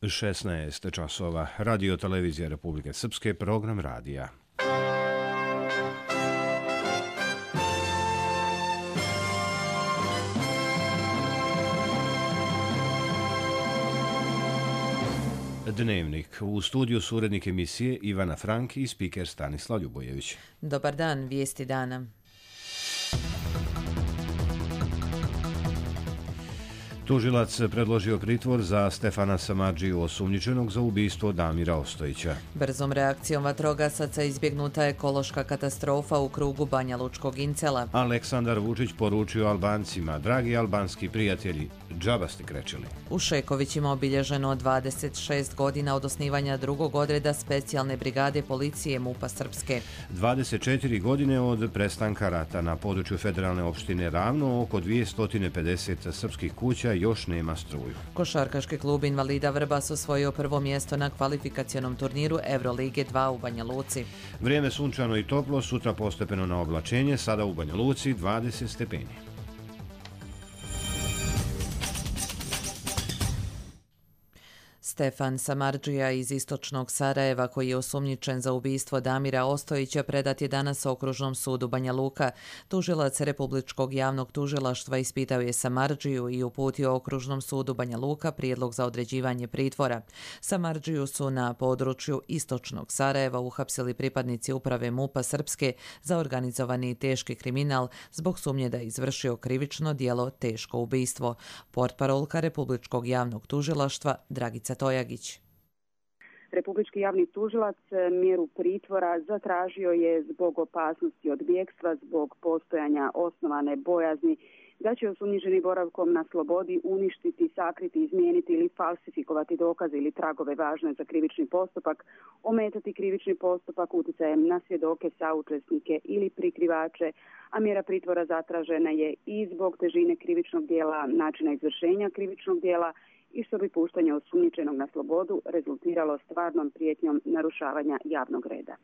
16 časova. Radio televizija Republike Srpske, program radija. Dnevnik. U studiju su urednik emisije Ivana Frank i spiker Stanislav Ljubojević. Dobar dan, vijesti dana. Tužilac predložio pritvor za Stefana Samardžiju, osumnjičenog za ubistvo Damira Ostojića. Brzom reakcijom vatrogasaca izbjegnuta ekološka katastrofa u krugu Banja Lučkog Incela. Aleksandar Vučić poručio Albancima: dragi albanski prijatelji, džaba ste krečili. U Šekovićima obilježeno 26 godina od osnivanja drugog odreda specijalne brigade policije MUP-a Srpske. 24 godine od prestanka rata. Na području federalne opštine Ravno oko 250 srpskih kuća još nema struju. Košarkaški klub Invalida Vrbas osvojio prvo mjesto na kvalifikacionom turniru Evrolige 2 u Banja Luci. Vrijeme sunčano i toplo, sutra postepeno na oblačenje, sada u Banja Luci 20 stepeni. Stefan Samardžija iz istočnog Sarajeva, koji je osumnjičen za ubistvo Damira Ostojića, predat je danas Okružnom sudu Banja Luka. Tužilac Republičkog javnog tužilaštva ispitao je Samardžiju i uputio Okružnom sudu Banja Luka prijedlog za određivanje pritvora. Samardžiju su na području istočnog Sarajeva uhapsili pripadnici uprave MUP-a Srpske za organizovani i teški kriminal zbog sumnje da je izvršio krivično djelo teško ubistvo. Portparolka Republičkog javnog tužilaštva Dragica Tojagić. Republički javni tužilac mjeru pritvora zatražio je zbog opasnosti od bjegstva, zbog postojanja osnovane bojazni da će osumnjičeni boravkom na slobodi uništiti, sakriti, izmijeniti ili falsifikovati dokaze ili tragove važne za krivični postupak, ometati krivični postupak utjecajem na svjedoke, saučesnike ili prikrivače, a mjera pritvora zatražena je i zbog težine krivičnog djela, načina izvršenja krivičnog djela i što bi puštanje osumnjičenog na slobodu rezultiralo stvarnom prijetnjom narušavanja javnog reda.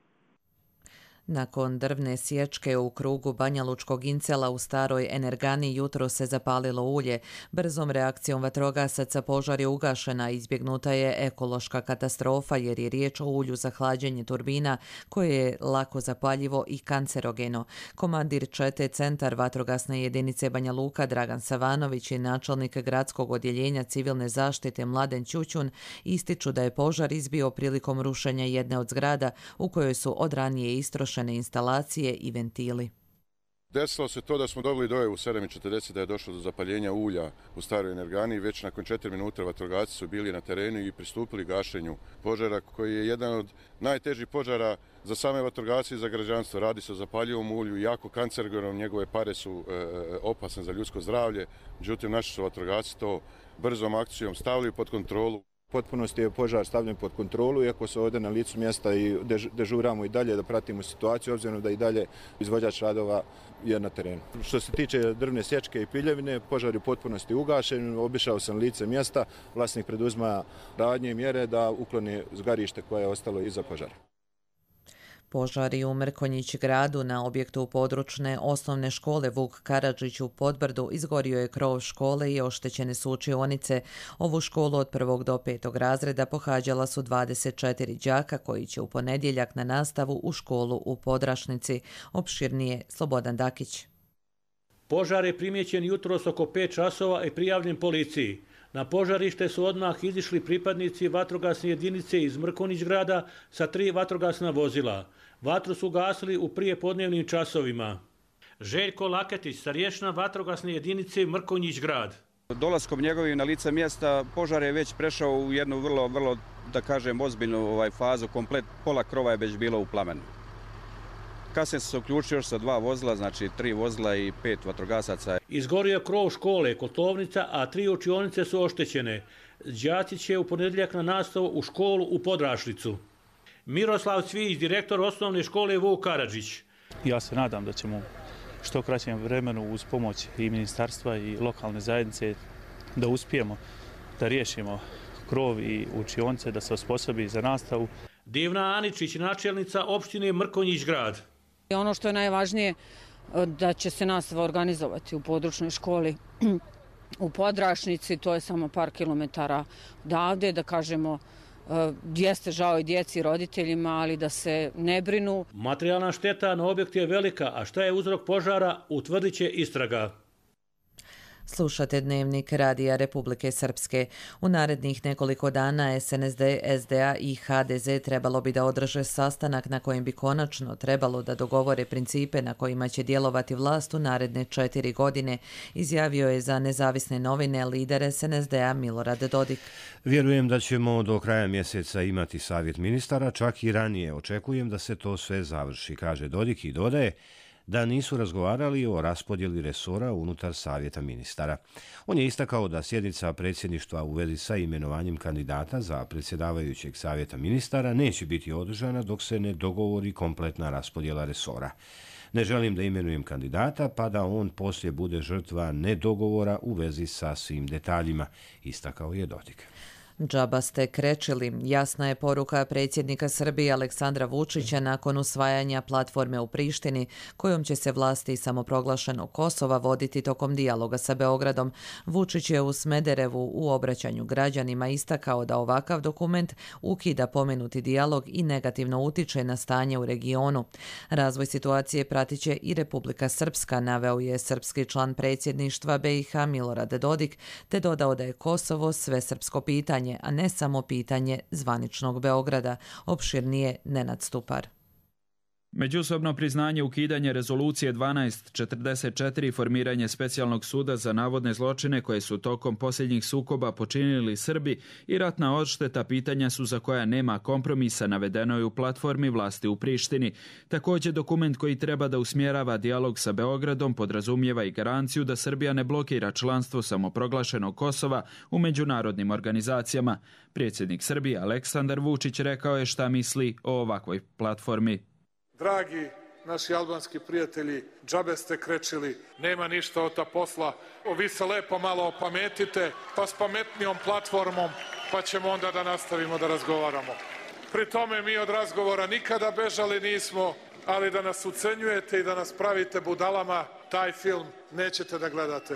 Nakon drvne sječke u krugu Banja Lučkog Incela u staroj energani jutro se zapalilo ulje. Brzom reakcijom vatrogasaca požar je ugašena, izbjegnuta je ekološka katastrofa jer je riječ o ulju za hlađenje turbina koje je lako zapaljivo i kancerogeno. Komandir čete Centar vatrogasne jedinice Banja Luka Dragan Savanović i načelnik gradskog odjeljenja civilne zaštite Mladen Ćućun ističu da je požar izbio prilikom rušenja jedne od zgrada u kojoj su od ranije istrošene instalacije i ventili. Desilo se to da smo dobili dojavu u 7:40 da je došlo do zapaljenja ulja u staroj energani i već nakon 4 minuta vatrogasci su bili na terenu i pristupili gašenju požara koji je jedan od najtežih požara za same vatrogasce i za građanstvo. Radi se o zapaljivom ulju, jako kancerogenom, njegove pare su opasne za ljudsko zdravlje, međutim naši su vatrogasci to brzom akcijom stavili pod kontrolu. Potpunosti je požar stavljen pod kontrolu, iako se ovdje na licu mjesta i dežuramo i dalje da pratimo situaciju, obzirom da i dalje izvođač radova je na terenu. Što se tiče drvne sječke i piljevine, požar je u potpunosti ugašen, obišao sam lice mjesta, vlasnik preduzima radnje i mjere da ukloni zgarište koje je ostalo iza požara. Požari u Mrkonjić gradu na objektu područne osnovne škole Vuk Karadžić u Podbrdu izgorio je krov škole i oštećene su učionice. Ovu školu od 1. do 5. razreda pohađala su 24 đaka koji će u ponedjeljak na nastavu u školu u Podrašnici. Opširnije Slobodan Dakić. Požar je primijećen jutros oko 5 časova i prijavljen policiji. Na požarište su odmah izišli pripadnici vatrogasne jedinice iz Mrkonjić grada sa 3 vatrogasna vozila. Vatru su gasili u prijepodnevnim časovima. Željko Laketić, starješina vatrogasne jedinice Mrkonjić grad. Dolaskom njegovim na lice mjesta požar je već prešao u jednu vrlo da kažem, ozbiljnu fazu. Komplet pola krova je već bilo u plamenu. Kasnije se uključio još sa 2 vozila, znači 3 vozila i 5 vatrogasaca. Izgorio je krov škole, kotlovnica, a 3 učionice su oštećene. Đaci će u ponedjeljak na nastavu u školu u Podrašnicu. Miroslav Cvijić, direktor osnovne škole Vuk Karadžić. Ja se nadam da ćemo što kraćem vremenu uz pomoć i ministarstva i lokalne zajednice da uspijemo da riješimo krov i učionice, da se osposobi za nastavu. Divna Aničić, načelnica opštine Mrkonjić grad. Ono što je najvažnije da će se nastava organizovati u područnoj školi u Podrašnici, to je samo par kilometara odavde, da kažemo, jeste žao i djeci i roditeljima, ali da se ne brinu. Materijalna šteta na objektu je velika, a šta je uzrok požara utvrdit će istraga. Slušate Dnevnik Radija Republike Srpske. U narednih nekoliko dana SNSD, SDA i HDZ trebalo bi da održe sastanak na kojem bi konačno trebalo da dogovore principe na kojima će djelovati vlast u naredne 4 godine, izjavio je za Nezavisne novine lider SNSD-a Milorad Dodik. Vjerujem da ćemo do kraja mjeseca imati savjet ministara, čak i ranije očekujem da se to sve završi, kaže Dodik i dodaje da nisu razgovarali o raspodjeli resora unutar savjeta ministara. On je istakao da sjednica predsjedništva u vezi sa imenovanjem kandidata za predsjedavajućeg savjeta ministara neće biti održana dok se ne dogovori kompletna raspodjela resora. Ne želim da imenujem kandidata pa da on poslije bude žrtva nedogovora u vezi sa svim detaljima, istakao je Dodik. Džaba ste krečili, jasna je poruka predsjednika Srbije Aleksandra Vučića nakon usvajanja platforme u Prištini, kojom će se vlasti samoproglašenog Kosova voditi tokom dijaloga sa Beogradom. Vučić je u Smederevu u obraćanju građanima istakao da ovakav dokument ukida pomenuti dijalog i negativno utiče na stanje u regionu. Razvoj situacije pratit će i Republika Srpska, naveo je srpski član predsjedništva BiH Milorad Dodik, te dodao da je Kosovo svesrpsko pitanje, a ne samo pitanje zvaničnog Beograda, opširnije Nenad Stupar. Međusobno priznanje ukidanje rezolucije 1244 i formiranje specijalnog suda za navodne zločine koje su tokom posljednjih sukoba počinili Srbi i ratna odšteta pitanja su za koja nema kompromisa, navedeno je u platformi vlasti u Prištini. Također dokument koji treba da usmjerava dijalog sa Beogradom podrazumijeva i garanciju da Srbija ne blokira članstvo samoproglašenog Kosova u međunarodnim organizacijama. Predsjednik Srbije Aleksandar Vučić rekao je šta misli o ovakvoj platformi. Dragi naši albanski prijatelji, džabe ste krečili, nema ništa od ta posla. Vi se lepo malo opametite, pa s pametnijom platformom, pa ćemo onda da nastavimo da razgovaramo. Pri tome mi od razgovora nikada bežali nismo, ali da nas ucenjujete i da nas pravite budalama, taj film nećete da gledate.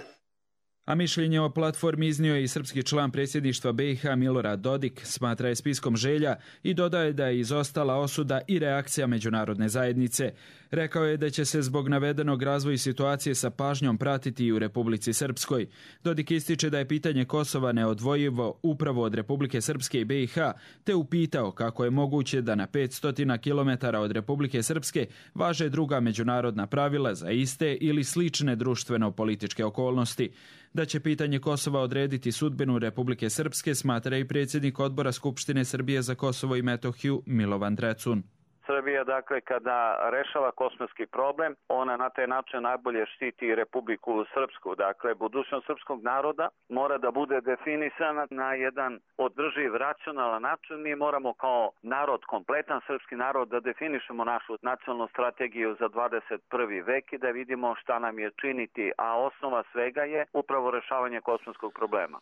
A mišljenje o platformi iznio je i srpski član predsjedništva BiH Milorad Dodik, smatra je spiskom želja i dodaje da je izostala osuda i reakcija međunarodne zajednice. Rekao je da će se zbog navedenog razvoja situacije sa pažnjom pratiti i u Republici Srpskoj. Dodik ističe da je pitanje Kosova neodvojivo upravo od Republike Srpske i BiH, te upitao kako je moguće da na 500 km od Republike Srpske važe druga međunarodna pravila za iste ili slične društveno-političke okolnosti. Da će pitanje Kosova odrediti sudbinu Republike Srpske, smatra i predsjednik odbora Skupštine Srbije za Kosovo i Metohiju Milovan Drecun. Srbija, dakle, kada rešava kosovski problem, ona na taj način najbolje štiti Republiku Srpsku. Dakle, budućnost srpskog naroda mora da bude definisana na jedan održiv, racionalan način. Mi moramo kao narod, kompletan srpski narod, da definišemo našu nacionalnu strategiju za 21. vek i da vidimo šta nam je činiti, a osnova svega je upravo rešavanje kosovskog problema.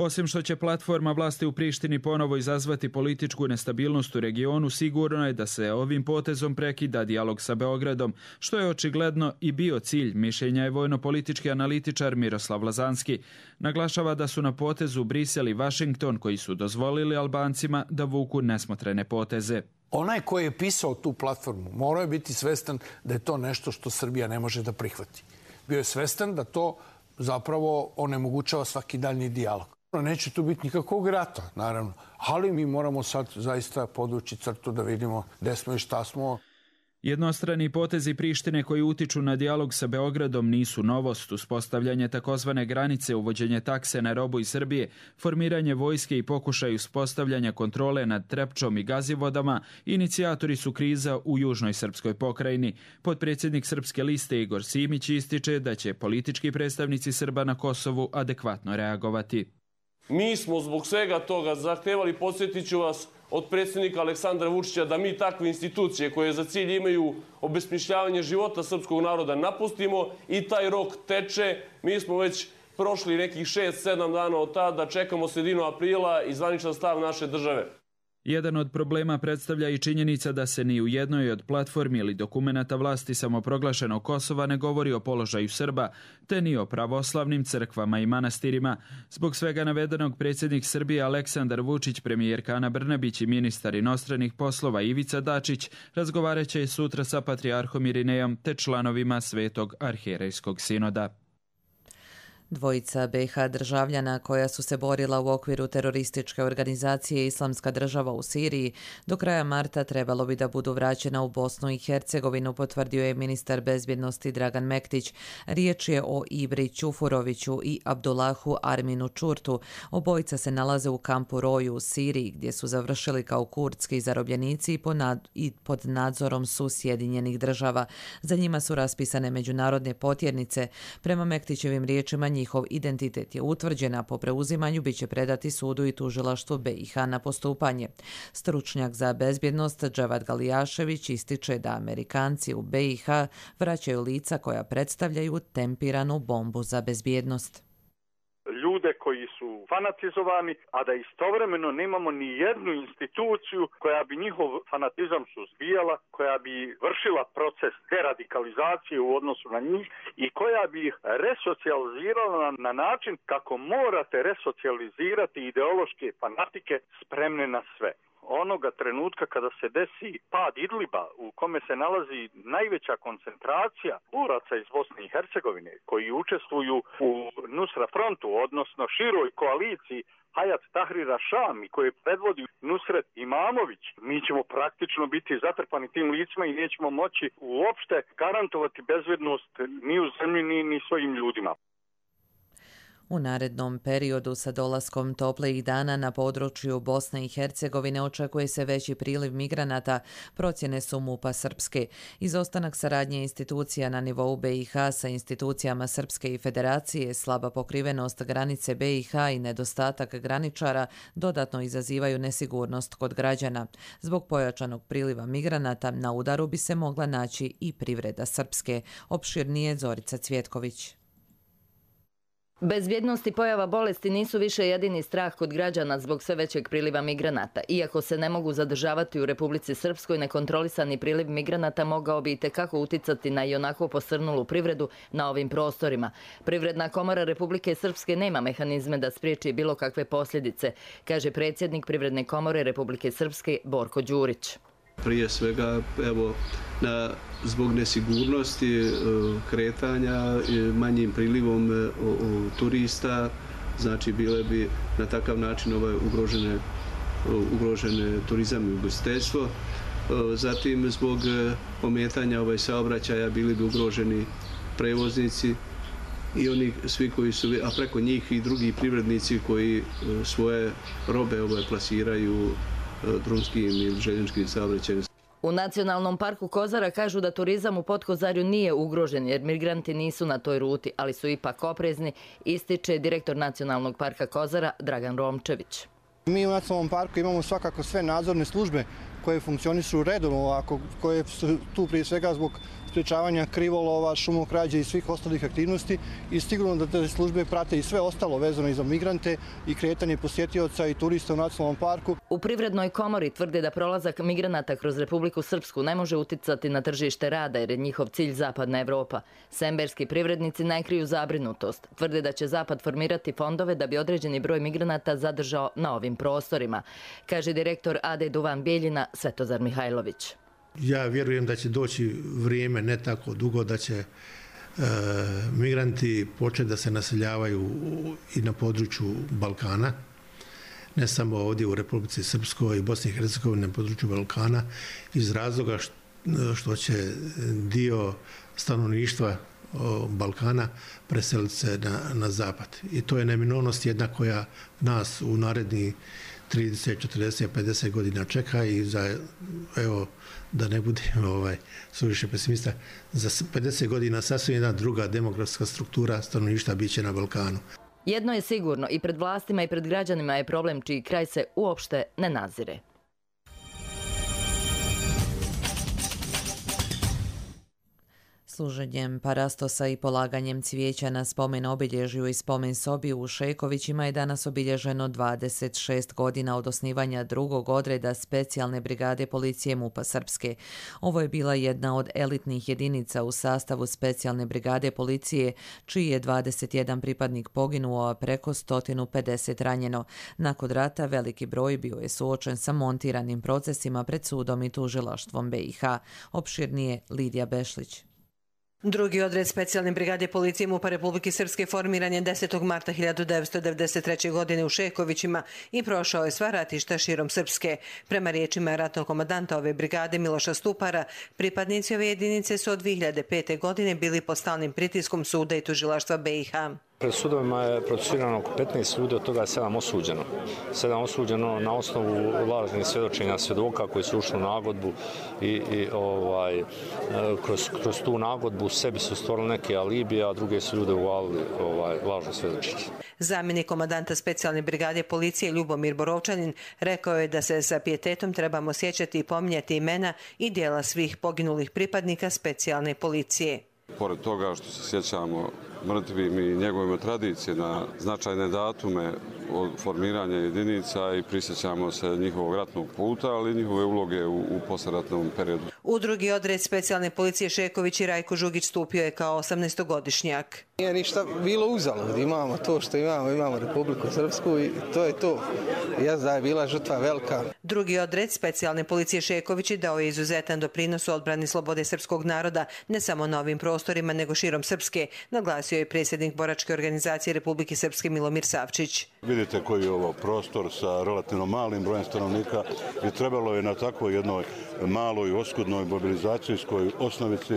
Osim što će platforma vlasti u Prištini ponovo izazvati političku nestabilnost u regionu, sigurno je da se ovim potezom prekida dijalog sa Beogradom, što je očigledno i bio cilj, mišljenja je vojno-politički analitičar Miroslav Lazanski. Naglašava da su na potezu Brisel i Vašington koji su dozvolili Albancima da vuku nesmotrene poteze. Onaj koji je pisao tu platformu morao je biti svestan da je to nešto što Srbija ne može da prihvati. Bio je svestan da to zapravo onemogućava svaki daljni dijalog. Neće tu biti nikakvog rata, naravno, ali mi moramo sad zaista podvući crtu da vidimo gde smo i šta smo. Jednostrani potezi Prištine koji utiču na dijalog sa Beogradom nisu novost. Uspostavljanje takozvane granice, uvođenje takse na robu iz Srbije, formiranje vojske i pokušaj uspostavljanja kontrole nad Trepčom i Gazivodama, inicijatori su kriza u južnoj srpskoj pokrajini. Potpredsjednik Srpske liste Igor Simić ističe da će politički predstavnici Srba na Kosovu adekvatno reagovati. Mi smo zbog svega toga zahtevali, podsjetit ću vas, od predsjednika Aleksandra Vučića da mi takve institucije koje za cilj imaju obesmišljavanje života srpskog naroda napustimo i taj rok teče. Mi smo već prošli nekih 6-7 dana od tada, čekamo sredinu aprila i zvaničan stav naše države. Jedan od problema predstavlja i činjenica da se ni u jednoj od platformi ili dokumenata vlasti samoproglašenog Kosova ne govori o položaju Srba, te ni o pravoslavnim crkvama i manastirima. Zbog svega navedenog predsjednik Srbije Aleksandar Vučić, premijerka Ana Brnabić i ministar inostranih poslova Ivica Dačić razgovarat će sutra sa patrijarhom Irinejom te članovima Svetog arhijerejskog sinoda. Dvojica BiH državljana koja su se borila u okviru terorističke organizacije Islamska država u Siriji do kraja marta trebalo bi da budu vraćena u Bosnu i Hercegovinu, potvrdio je ministar bezbjednosti Dragan Mektić. Riječ je o Ibri Ćufuroviću i Abdullahu Arminu Čurtu. Obojica se nalaze u kampu Roju u Siriji, gdje su završili kao kurdski zarobljenici i pod nadzorom su Sjedinjenih država. Za njima su raspisane međunarodne potjernice. Prema Mektićevim riječima, njihov identitet je utvrđen, a po preuzimanju bit će predati sudu i tužilaštvu BiH na postupanje. Stručnjak za bezbjednost Dževad Galijašević ističe da Amerikanci u BiH vraćaju lica koja predstavljaju tempiranu bombu za bezbjednost. Ljude koji su fanatizovani, a da istovremeno nemamo ni jednu instituciju koja bi njihov fanatizam suzbijala, koja bi vršila proces deradikalizacije u odnosu na njih i koja bi ih resocijalizirala na način kako morate resocijalizirati ideološke fanatike spremne na sve. Onoga trenutka kada se desi pad Idliba, u kome se nalazi najveća koncentracija boraca iz Bosne i Hercegovine koji učestvuju u Nusra frontu, odnosno široj koaliciji Hayat Tahrira Sham i koje predvodi Nusret Imamović, mi ćemo praktično biti zatrpani tim licima i nećemo moći uopšte garantovati bezbjednost ni u zemlji ni svojim ljudima. U narednom periodu sa dolaskom toplijih dana na području Bosne i Hercegovine očekuje se veći priliv migranata, procjene su MUP-a Srpske. Izostanak saradnje institucija na nivou BiH sa institucijama Srpske i Federacije, slaba pokrivenost granice BiH i nedostatak graničara dodatno izazivaju nesigurnost kod građana. Zbog pojačanog priliva migranata na udaru bi se mogla naći i privreda Srpske. Opširnije Zorica Cvjetković. Bezbjednost i pojava bolesti nisu više jedini strah kod građana zbog sve većeg priliva migranata. Iako se ne mogu zadržavati u Republici Srpskoj, nekontrolisani priliv migranata mogao bi itekako uticati na ionako posrnulu privredu na ovim prostorima. Privredna komora Republike Srpske nema mehanizme da spriječi bilo kakve posljedice, kaže predsjednik Privredne komore Republike Srpske Borko Đurić. Prije svega, zbog nesigurnosti kretanja, manjim prilivom turista, znači bile bi na takav način ugrožene turizam i ugostiteljstvo. Zatim, zbog ometanja saobraćaja bili bi ugroženi prevoznici i oni svi koji su, a preko njih i drugi privrednici koji svoje robe plasiraju drumskim ili željezničkim saobraćajem. U Nacionalnom parku Kozara kažu da turizam u Potkozarju nije ugrožen jer migranti nisu na toj ruti, ali su ipak oprezni, ističe direktor Nacionalnog parka Kozara Dragan Romčević. Mi u Nacionalnom parku imamo svakako sve nadzorne službe koje funkcionišu redovno, koje su tu prije svega zbog sprječavanja krivolova, šumokrađe i svih ostalih aktivnosti i sigurno da te službe prate i sve ostalo vezano i za migrante i kretanje posjetioca i turista u Nacionalnom parku. U Privrednoj komori tvrde da prolazak migranata kroz Republiku Srpsku ne može uticati na tržište rada jer je njihov cilj Zapadna Evropa. Semberski privrednici ne kriju zabrinutost. Tvrde da će Zapad formirati fondove da bi određeni broj migranata zadržao na ovim prostorima, kaže direktor AD Duvan Bijeljina Svetozar Mihajlović. Ja vjerujem da će doći vrijeme ne tako dugo da će migranti početi da se naseljavaju i na području Balkana, ne samo ovdje u Republici Srpskoj i Bosni i Hercegovini, na području Balkana, iz razloga što će dio stanovništva Balkana preseliti se na zapad. I to je neminovnost jedna koja nas u narednih 30, 40, 50 godina čeka i da ne budem suviše pesimista, za 50 godina sasvim jedna druga demografska struktura stanovništva biće na Balkanu. Jedno je sigurno, i pred vlastima i pred građanima je problem čiji kraj se uopšte ne nazire. Služenjem parastosa i polaganjem cvijeća na spomen obilježju i spomen sobi u Šekovićima je danas obilježeno 26 godina od osnivanja drugog odreda specijalne brigade policije MUP-a Srpske. Ovo je bila jedna od elitnih jedinica u sastavu specijalne brigade policije, čiji je 21 pripadnik poginuo, a preko 150 ranjeno. Nakon rata veliki broj bio je suočen sa montiranim procesima pred sudom i tužilaštvom BiH. Opširnije Lidija Bešlić. Drugi odred specijalne brigade policije MUP-a Republike Srpske formiran je 10. marta 1993. godine u Šekovićima i prošao je sva ratišta širom Srpske. Prema riječima ratnog komandanta ove brigade Miloša Stupara, pripadnici ove jedinice su od 2005. godine bili pod stalnim pritiskom suda i tužilaštva BiH. Pred sudovima je procesuirano oko 15 ljudi, od toga je 7 osuđeno. 7 osuđeno na osnovu lažnih svjedočenja svjedoka koji su ušli u nagodbu i kroz tu nagodbu sebi su stvorili neke alibije, a druge su ljude uvalili lažno svjedočenje. Zamjenik komandanta specijalne brigade policije Ljubomir Borovčanin rekao je da se sa pijetetom trebamo sjećati i pominjati imena i djela svih poginulih pripadnika specijalne policije. Pored toga što se sjećamo mrtvim i njegovima tradicije na značajne datume od formiranja jedinica i prisjećamo se njihovog ratnog puta, ali i njihove uloge u posleratnom periodu. U drugi odred specijalne policije Šeković i Rajko Žugić stupio je kao 18-godišnjak. Nije ništa bilo uzalud, imamo to što imamo Republiku Srpsku i to je to. Jazda je bila žrtva velika. Drugi odred specijalne policije Šeković dao je izuzetan doprinos u odbrani slobode srpskog naroda, ne samo na ovim prostorima, nego širom Srpske, naglasio je predsjednik boračke organizacije Republike Srpske Milomir Savčić. Vidite koji je ovo prostor sa relativno malim brojem stanovnika i trebalo je na takvoj jednoj maloj oskudnoj mobilizacijskoj osnovici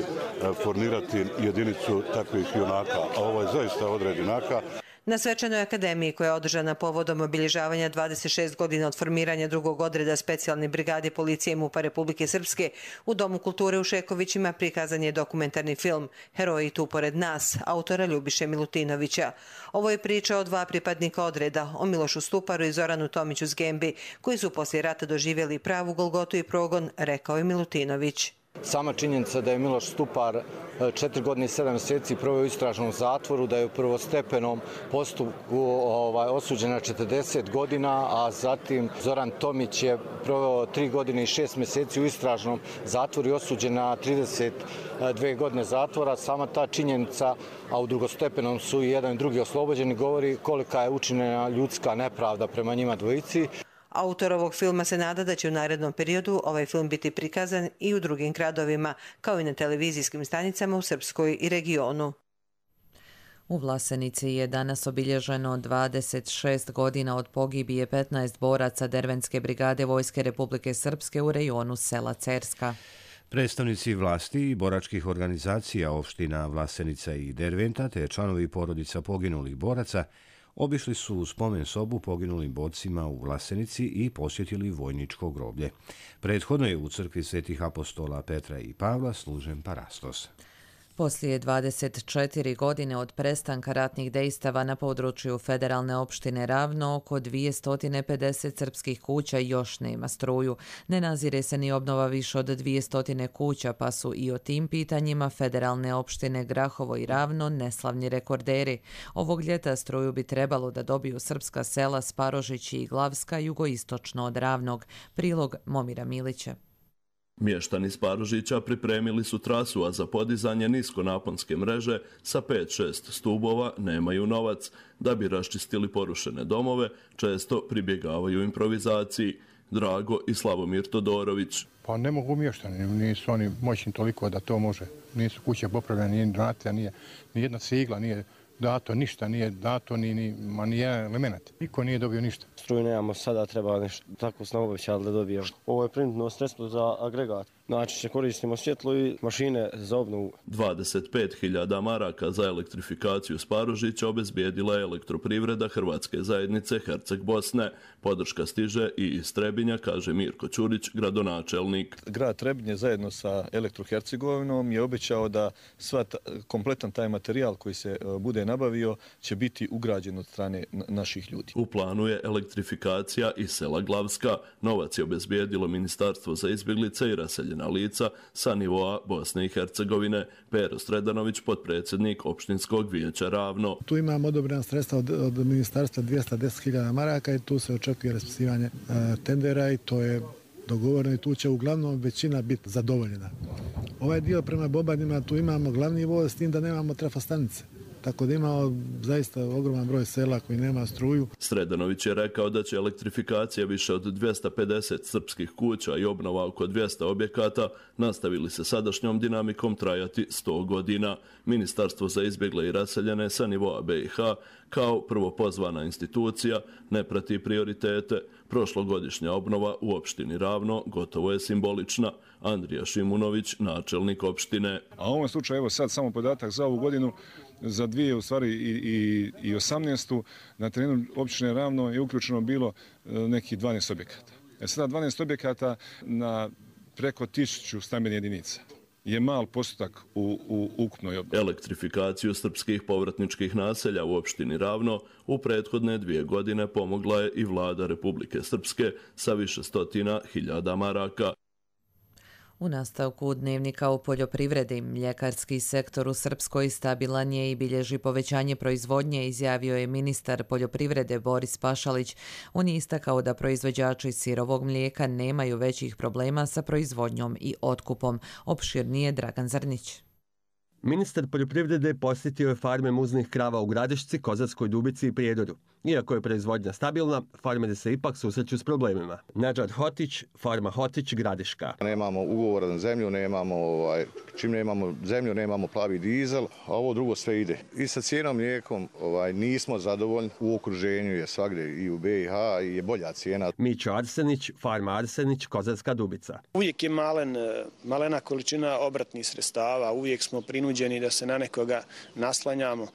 formirati jedinicu takvih junaka. A ovo je zaista odred junaka. Na svečanoj akademiji koja je održana povodom obilježavanja 26 godina od formiranja drugog odreda specijalne brigade policije MUP-a Republike Srpske u Domu kulture u Šekovićima prikazan je dokumentarni film Heroji tu pored nas, autora Ljubiše Milutinovića. Ovo je priča o dva pripadnika odreda, o Milošu Stuparu i Zoranu Tomiću Zgembi, koji su poslije rata doživjeli pravu golgotu i progon, rekao je Milutinović. Sama činjenica da je Miloš Stupar 4 godine i 7 mjeseci proveo u istražnom zatvoru, da je u prvostepenom postupku osuđen na 40 godina, a zatim Zoran Tomić je proveo 3 godine i 6 mjeseci u istražnom zatvoru i osuđen na 32 godine zatvora. Sama ta činjenica, a u drugostepenom su i jedan i drugi oslobođeni, govori kolika je učinjena ljudska nepravda prema njima dvojici. Autor ovog filma se nada da će u narednom periodu ovaj film biti prikazan i u drugim gradovima, kao i na televizijskim stanicama u Srpskoj i regionu. U Vlasenici je danas obilježeno 26 godina od pogibije 15 boraca Dervenske brigade Vojske Republike Srpske u rejonu sela Cerska. Predstavnici vlasti i boračkih organizacija opština Vlasenica i Derventa te članovi porodica poginulih boraca obišli su u spomen sobu poginulim borcima u Vlasenici i posjetili vojničko groblje. Prethodno je u crkvi svetih apostola Petra i Pavla služen parastos. Poslije 24 godine od prestanka ratnih dejstava na području federalne opštine Ravno, oko 250 srpskih kuća još nema struju. Ne nazire se ni obnova više od 200 kuća, pa su i o tim pitanjima federalne opštine Grahovo i Ravno neslavni rekorderi. Ovog ljeta struju bi trebalo da dobiju srpska sela Sparožić i Glavska jugoistočno od Ravnog. Prilog Momira Milića. Mještani Sparožića pripremili su trasu, a za podizanje niskonaponske mreže sa 5-6 stubova nemaju novac. Da bi raščistili porušene domove, često pribjegavaju improvizaciji. Drago i Slavomir Todorović. Pa ne mogu mještani, nisu oni moćni toliko da to može. Nisu kuće popravljene, nije donacija, nije ni jedna cigla, nije dato ništa, nije dato ni jedan element. Niko nije dobio ništa. Struju nemamo sada, treba nešto, tako smo obećali da dobijemo. Ovo je printno sredstvo za agregat. Znači, koristimo svjetlo i mašine za obnovu. 25.000 maraka za elektrifikaciju Sparožića obezbijedila je elektroprivreda Hrvatske zajednice Herceg Bosne. Podrška stiže i iz Trebinja, kaže Mirko Ćurić, gradonačelnik. Grad Trebinje zajedno sa Elektrohercegovinom je obećao da kompletan taj materijal koji se bude nabavio će biti ugrađen od strane naših ljudi. U planu je elektrifikacija i sela Glavska. Novac je obezbijedilo Ministarstvo za izbjeglice i raseljene pogođena lica sa nivoa Bosne i Hercegovine. Pero Sredanović, potpredsjednik opštinskog vijeća Ravno. Tu imamo odobrena sredstva od ministarstva 210.000 maraka i tu se očekuje raspisivanje tendera i to je dogovoreno i tu će uglavnom većina biti zadovoljena. Ovaj dio prema Bobanima, tu imamo glavni voz s tim da nemamo trafostanice. Tako da imamo zaista ogroman broj sela koji nema struju. Sredanović je rekao da će elektrifikacija više od 250 srpskih kuća i obnova oko 200 objekata nastavili se sadašnjom dinamikom trajati 100 godina. Ministarstvo za izbjegle i raseljene sa nivoa BiH kao prvopozvana institucija ne prati prioritete. Prošlogodišnja obnova u opštini Ravno gotovo je simbolična. Andrija Šimunović, načelnik opštine. A u ovom slučaju, evo sad samo podatak za ovu godinu, za 2018. na terenu opštine Ravno je uključeno bilo nekih 12 objekata. Sada 12 objekata na preko 1000 stambenih jedinica je mal postotak u ukupnoj obnovi. Elektrifikaciju srpskih povratničkih naselja u opštini Ravno u prethodne 2 godine pomogla je i vlada Republike Srpske sa više stotina hiljada maraka. U nastavku dnevnika o poljoprivredi, mljekarski sektor u Srpskoj stabilan je i bilježi povećanje proizvodnje, izjavio je ministar poljoprivrede Boris Pašalić. On je istakao da proizvođači sirovog mlijeka nemaju većih problema sa proizvodnjom i otkupom. Opširnije Dragan Zrnić. Ministar poljoprivrede posjetio je farme muznih krava u Gradišci, Kozarskoj Dubici i Prijedoru. Iako je proizvodnja stabilna, farmeri se ipak susreću s problemima. Nedžad Hotić, farma Hotić, Gradiška. Nemamo ugovora na zemlju, čim nemamo zemlju, nemamo plavi dizel, a ovo drugo sve ide. I sa cijenom mlijekom nismo zadovoljni. U okruženju je svagdje i u BiH i je bolja cijena. Mićo Arsenić, farma Arsenić, Kozarska Dubica. Uvijek je malena količina obratnih sredstava, uvijek smo prinuđeni da se na nekoga naslanjamo.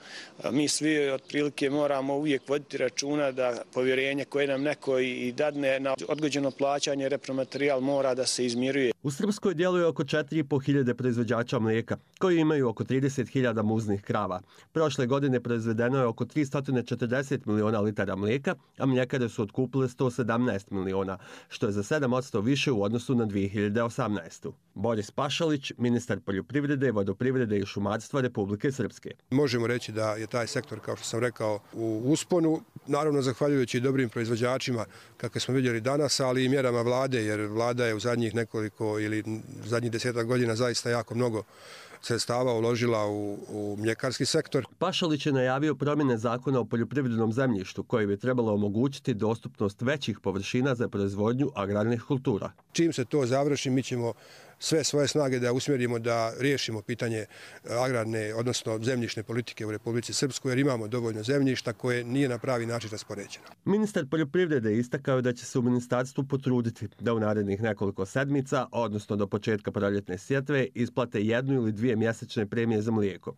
Mi svi otprilike moramo uvijek voditi računa da povjerenje koje nam neko i dadne na odgođeno plaćanje repromaterijal mora da se izmiruje. U Srpskoj djeluje oko 4.500 proizvođača mlijeka, koji imaju oko 30.000 muznih krava. Prošle godine proizvedeno je oko 340 miliona litara mlijeka, a mljekare su otkupile 117 miliona, što je za 7% više u odnosu na 2018. Boris Pašalić, ministar poljoprivrede, vodoprivrede i šumarstva Republike Srpske. Možemo reći da je taj sektor, kao što sam rekao, u usponu, naravno zahvaljujući dobrim proizvođačima, kakve smo vidjeli danas, ali i mjerama vlade, jer vlada je u zadnjih nekoliko ili zadnjih 10 godina zaista jako mnogo sredstava uložila u mljekarski sektor. Pašalić je najavio promjene zakona o poljoprivrednom zemljištu koje bi trebalo omogućiti dostupnost većih površina za proizvodnju agrarnih kultura. Čim se to završi, mi ćemo sve svoje snage da usmjerimo da riješimo pitanje agrarne, odnosno zemljišne politike u Republici Srpskoj, jer imamo dovoljno zemljišta koje nije na pravi način raspoređeno. Ministar poljoprivrede istakao da će se u ministarstvu potruditi da u narednih nekoliko sedmica, odnosno do početka proljetne sjetve, isplate 1 ili 2 mjesečne premije za mlijeko.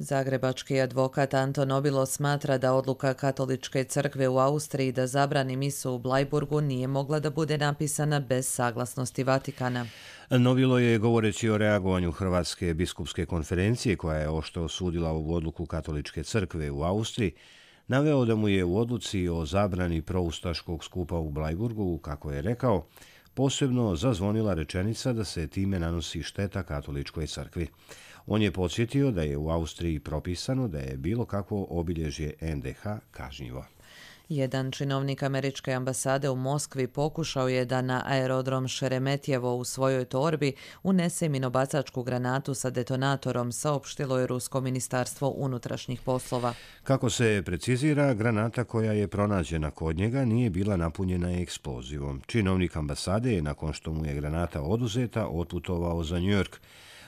Zagrebački advokat Anton Obilo smatra da odluka Katoličke crkve u Austriji da zabrani misu u Blajburgu nije mogla da bude napisana bez saglasnosti Vatikana. Nobilo je, govoreći o reagovanju Hrvatske biskupske konferencije, koja je oštro osudila ovu odluku Katoličke crkve u Austriji, naveo da mu je u odluci o zabrani proustaškog skupa u Blajburgu, kako je rekao, posebno zazvonila rečenica da se time nanosi šteta Katoličkoj crkvi. On je podsjetio da je u Austriji propisano da je bilo kakvo obilježje NDH kažnjivo. Jedan činovnik američke ambasade u Moskvi pokušao je da na aerodrom Šeremetjevo u svojoj torbi unese minobacačku granatu sa detonatorom, saopštilo je Rusko ministarstvo unutrašnjih poslova. Kako se precizira, granata koja je pronađena kod njega nije bila napunjena eksplozivom. Činovnik ambasade je, nakon što mu je granata oduzeta, otputovao za New York.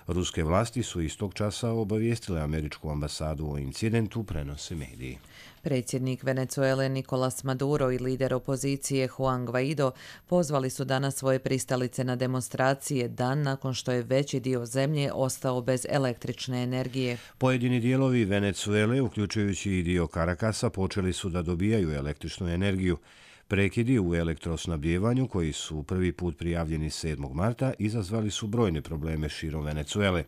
Ruske vlasti su istog časa obavijestile američku ambasadu o incidentu, prenose mediji. Predsjednik Venezuele Nicolás Maduro i lider opozicije Juan Guaido pozvali su danas svoje pristalice na demonstracije dan nakon što je veći dio zemlje ostao bez električne energije. Pojedini dijelovi Venezuele, uključujući i dio Karakasa, počeli su da dobijaju električnu energiju. Prekidi u elektrosnabdjevanju, koji su prvi put prijavljeni 7. marta, izazvali su brojne probleme širom Venezuele.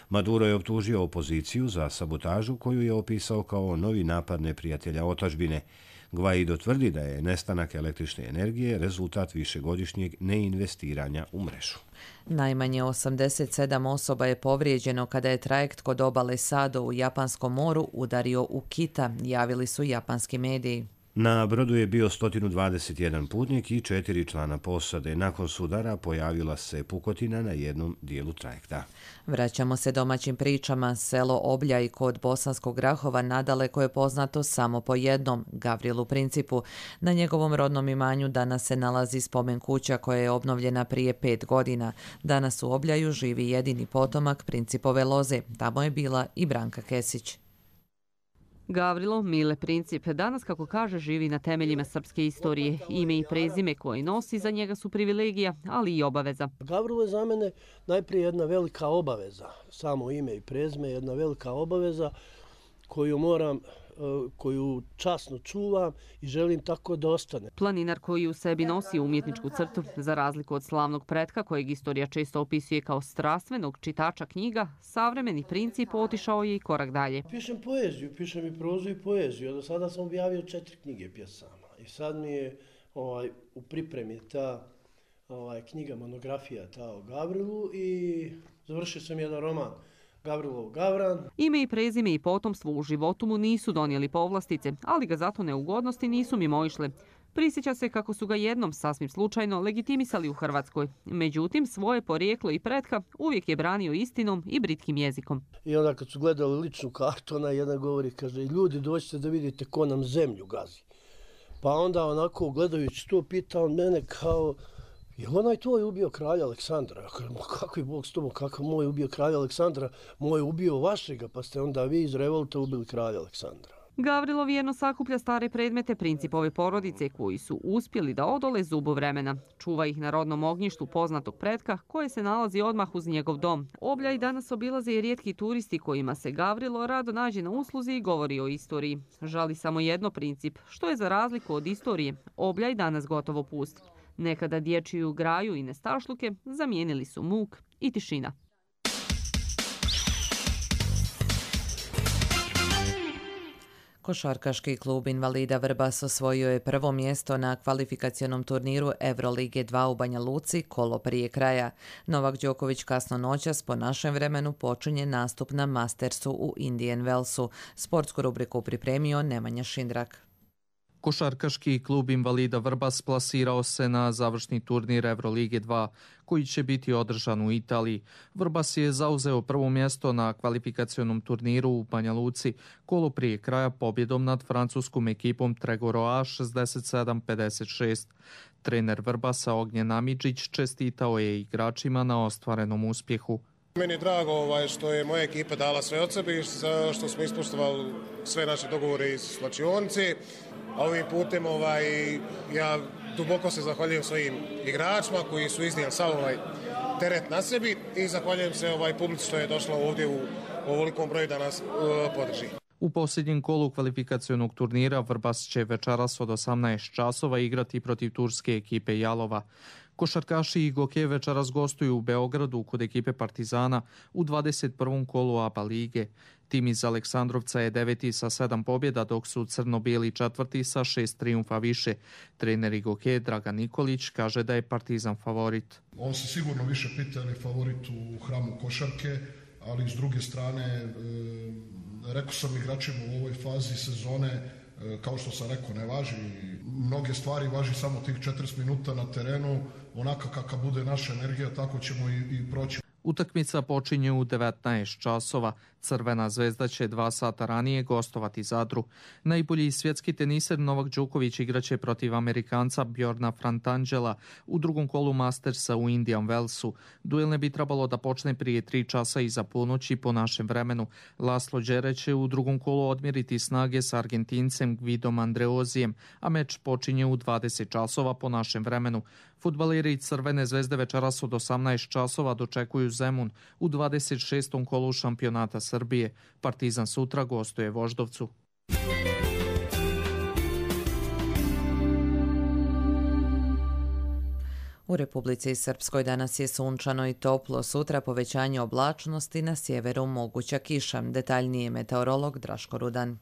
Maduro je optužio opoziciju za sabotažu koju je opisao kao novi napad neprijatelja otadžbine. Guaido tvrdi da je nestanak električne energije rezultat višegodišnjeg neinvestiranja u mrežu. Najmanje 87 osoba je povrijeđeno kada je trajekt kod obale Sado u Japanskom moru udario u Kita, javili su japanski mediji. Na brodu je bio 121 putnik i 4 člana posade. Nakon sudara pojavila se pukotina na jednom dijelu trajekta. Vraćamo se domaćim pričama. Selo Obljaj kod Bosanskog Grahova nadaleko je poznato samo po jednom, Gavrilu Principu. Na njegovom rodnom imanju danas se nalazi spomen kuća koja je obnovljena prije 5 godina. Danas u Obljaju živi jedini potomak Principove loze. Tamo je bila i Branka Kesić. Gavrilo Mile Princip danas, kako kaže, živi na temeljima srpske istorije. Ime i prezime koje nosi za njega su privilegija, ali i obaveza. Gavrilo je za mene najprije jedna velika obaveza. Samo ime i prezime je jedna velika obaveza koju časno čuvam i želim tako da ostane. Planinar koji u sebi nosi umjetničku crtu, za razliku od slavnog pretka kojeg istorija često opisuje kao strastvenog čitača knjiga, savremeni Princip otišao je i korak dalje. Pišem poeziju, pišem i prozu i poeziju. Do sada sam objavio 4 knjige pjesama i sad mi je u pripremi ta knjiga, monografija ta o Gavrilu i završio sam jedan roman Gavrilov Gavran. Ime i prezime i potomstvo u životu mu nisu donijeli povlastice, ali ga zato neugodnosti nisu mimoišle. Prisjeća se kako su ga jednom, sasvim slučajno, legitimisali u Hrvatskoj. Međutim, svoje porijeklo i pretka uvijek je branio istinom i britkim jezikom. I onda kad su gledali ličnu kartu, ona jedan govori, kaže, ljudi dođite da vidite ko nam zemlju gazi. Pa onda onako gledajući to pita on mene kao, je onaj tvoj ubio kralja Aleksandra? Ja kažem, kako je Bog s tobom, kakav moj ubio kralja Aleksandra? Moj ubio vašega, pa ste onda vi iz revolta ubili kralja Aleksandra. Gavrilo vjerno sakuplja stare predmete Principove porodice koji su uspjeli da odole zubu vremena. Čuva ih na rodnom ognjištu poznatog pretka koje se nalazi odmah uz njegov dom. Obljaj danas obilaze i rijetki turisti kojima se Gavrilo rado nađe na usluzi i govori o istoriji. Žali samo jedno Princip, što je za razliku od istorije Obljaj danas gotovo pust. Nekada dječju graju i nestašluke zamijenili su muk i tišina. Košarkaški klub invalida Vrbas osvojio je prvo mjesto na kvalifikacionom turniru Evrolige 2 u Banja Luci kolo prije kraja. Novak Đoković kasno noćas po našem vremenu počinje nastup na Mastersu u Indian Wellsu. Sportsku rubriku pripremio Nemanja Šindrak. Košarkaški klub invalida Vrbas plasirao se na završni turnir Evrolige 2, koji će biti održan u Italiji. Vrbas je zauzeo prvo mjesto na kvalifikacionom turniru u Banja Luci, kolo prije kraja pobjedom nad francuskom ekipom Tregoroa 67-56. Trener Vrbasa Ognjen Amidžić čestitao je igračima na ostvarenom uspjehu. Meni je drago što je moja ekipa dala sve od sebe i što smo ispoštovali sve naše dogovore iz slačionice. A ovim putem ja duboko se zahvaljujem svojim igračima koji su iznijeli sav teret na sebi i zahvaljujem se publici što je došla ovdje u ovolikom broju da nas podrži. U posljednjem kolu kvalifikacionog turnira Vrbas će večeras od 18 časova igrati protiv turske ekipe Jalova. Košarkaši i Goke večeras gostuju u Beogradu kod ekipe Partizana u 21. kolu ABA lige. Tim iz Aleksandrovca je 9. sa 7 pobjeda, dok su crno-bijeli 4. sa 6 trijumfa više. Trener Igoke Dragan Nikolić kaže da je Partizan favorit. On se sigurno više pita je li favorit u hramu košarke, ali s druge strane, rekao sam igračima u ovoj fazi sezone, kao što sam rekao, ne važi mnoge stvari, važi samo tih 40 minuta na terenu, onaka kakva bude naša energija, tako ćemo i proći. Utakmica počinje u 19 časova. Crvena zvezda će 2 sata ranije gostovati Zadru. Najbolji svjetski teniser Novak Đoković igraće protiv Amerikanca Bjorna Frantangela u drugom kolu Mastersa u Indian Wellsu. Duel ne bi trebalo da počne prije 3 časa iza ponoći po našem vremenu. Laslo Đere će u drugom kolu odmjeriti snage s Argentincem Gvidom Andreozijem, a meč počinje u 20 časova po našem vremenu. Fudbaleri Crvene zvezde večeras od 18 časova dočekuju Zemun u 26. kolu šampionata Srbije. Partizan sutra gostuje Voždovcu. U Republici Srpskoj danas je sunčano i toplo, sutra povećanje oblačnosti, na sjeveru moguća kiša. Detaljnije meteorolog Draško Rudan.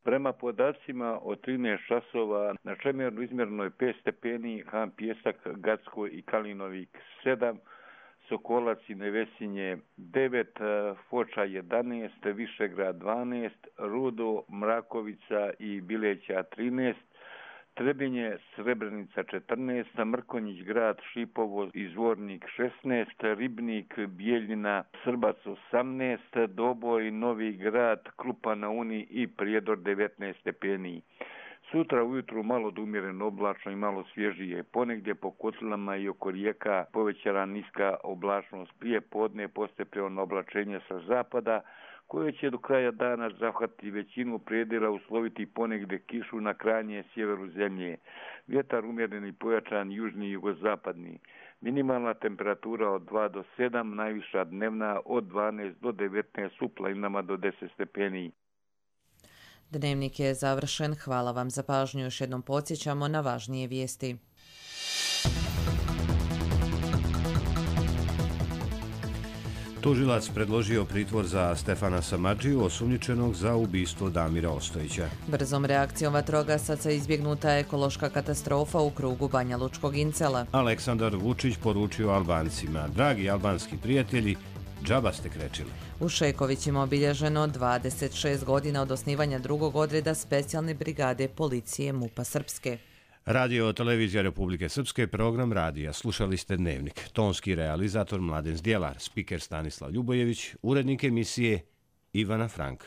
Prema podacima od 13 časova na Čemernu izmjereno je 5 stepeni, Han Pijesak, Gacko i Kalinovik 7, Sokolac i Nevesinje 9, Foča 11, Višegrad 12, Rudo, Mrakovica i Bileća 13, Trebinje, Srebrenica 14, Mrkonjić grad, Šipovo i Zvornik 16, Ribnik, Bijeljina, Srbac 18, Doboj, Novi grad, Krupa na Uni i Prijedor 19 stepeni. Sutra ujutru malo do umjereno oblačno i malo svježije. Ponegdje po kotlama i oko rijeka povećana niska oblačnost. Prije podne postepeno oblačenje sa zapada, koje će do kraja dana zahvatiti većinu predjela, usloviti ponegdje kišu na krajnje sjeveru zemlje. Vjetar umjeren i pojačan južni i jugozapadni. Minimalna temperatura od 2 do 7, najviša dnevna od 12 do 19, u planinama do 10 stepeni. Dnevnik je završen. Hvala vam za pažnju. Još jednom podsjećamo na važnije vijesti. Tužilac predložio pritvor za Stefana Samardžiju, osumnjičenog za ubistvo Damira Ostojića. Brzom reakcijom vatrogasaca izbjegnuta je ekološka katastrofa u krugu Banja Lučkog Incela. Aleksandar Vučić poručio Albancima: dragi albanski prijatelji, džaba ste krečili. U Šekovićima obilježeno 26 godina od osnivanja drugog odreda specijalne brigade policije MUP-a Srpske. Radio Televizija Republike Srpske, program radija. Slušali ste Dnevnik. Tonski realizator Mladen Zdjelar, spiker Stanislav Ljubojević, urednik emisije Ivana Frank.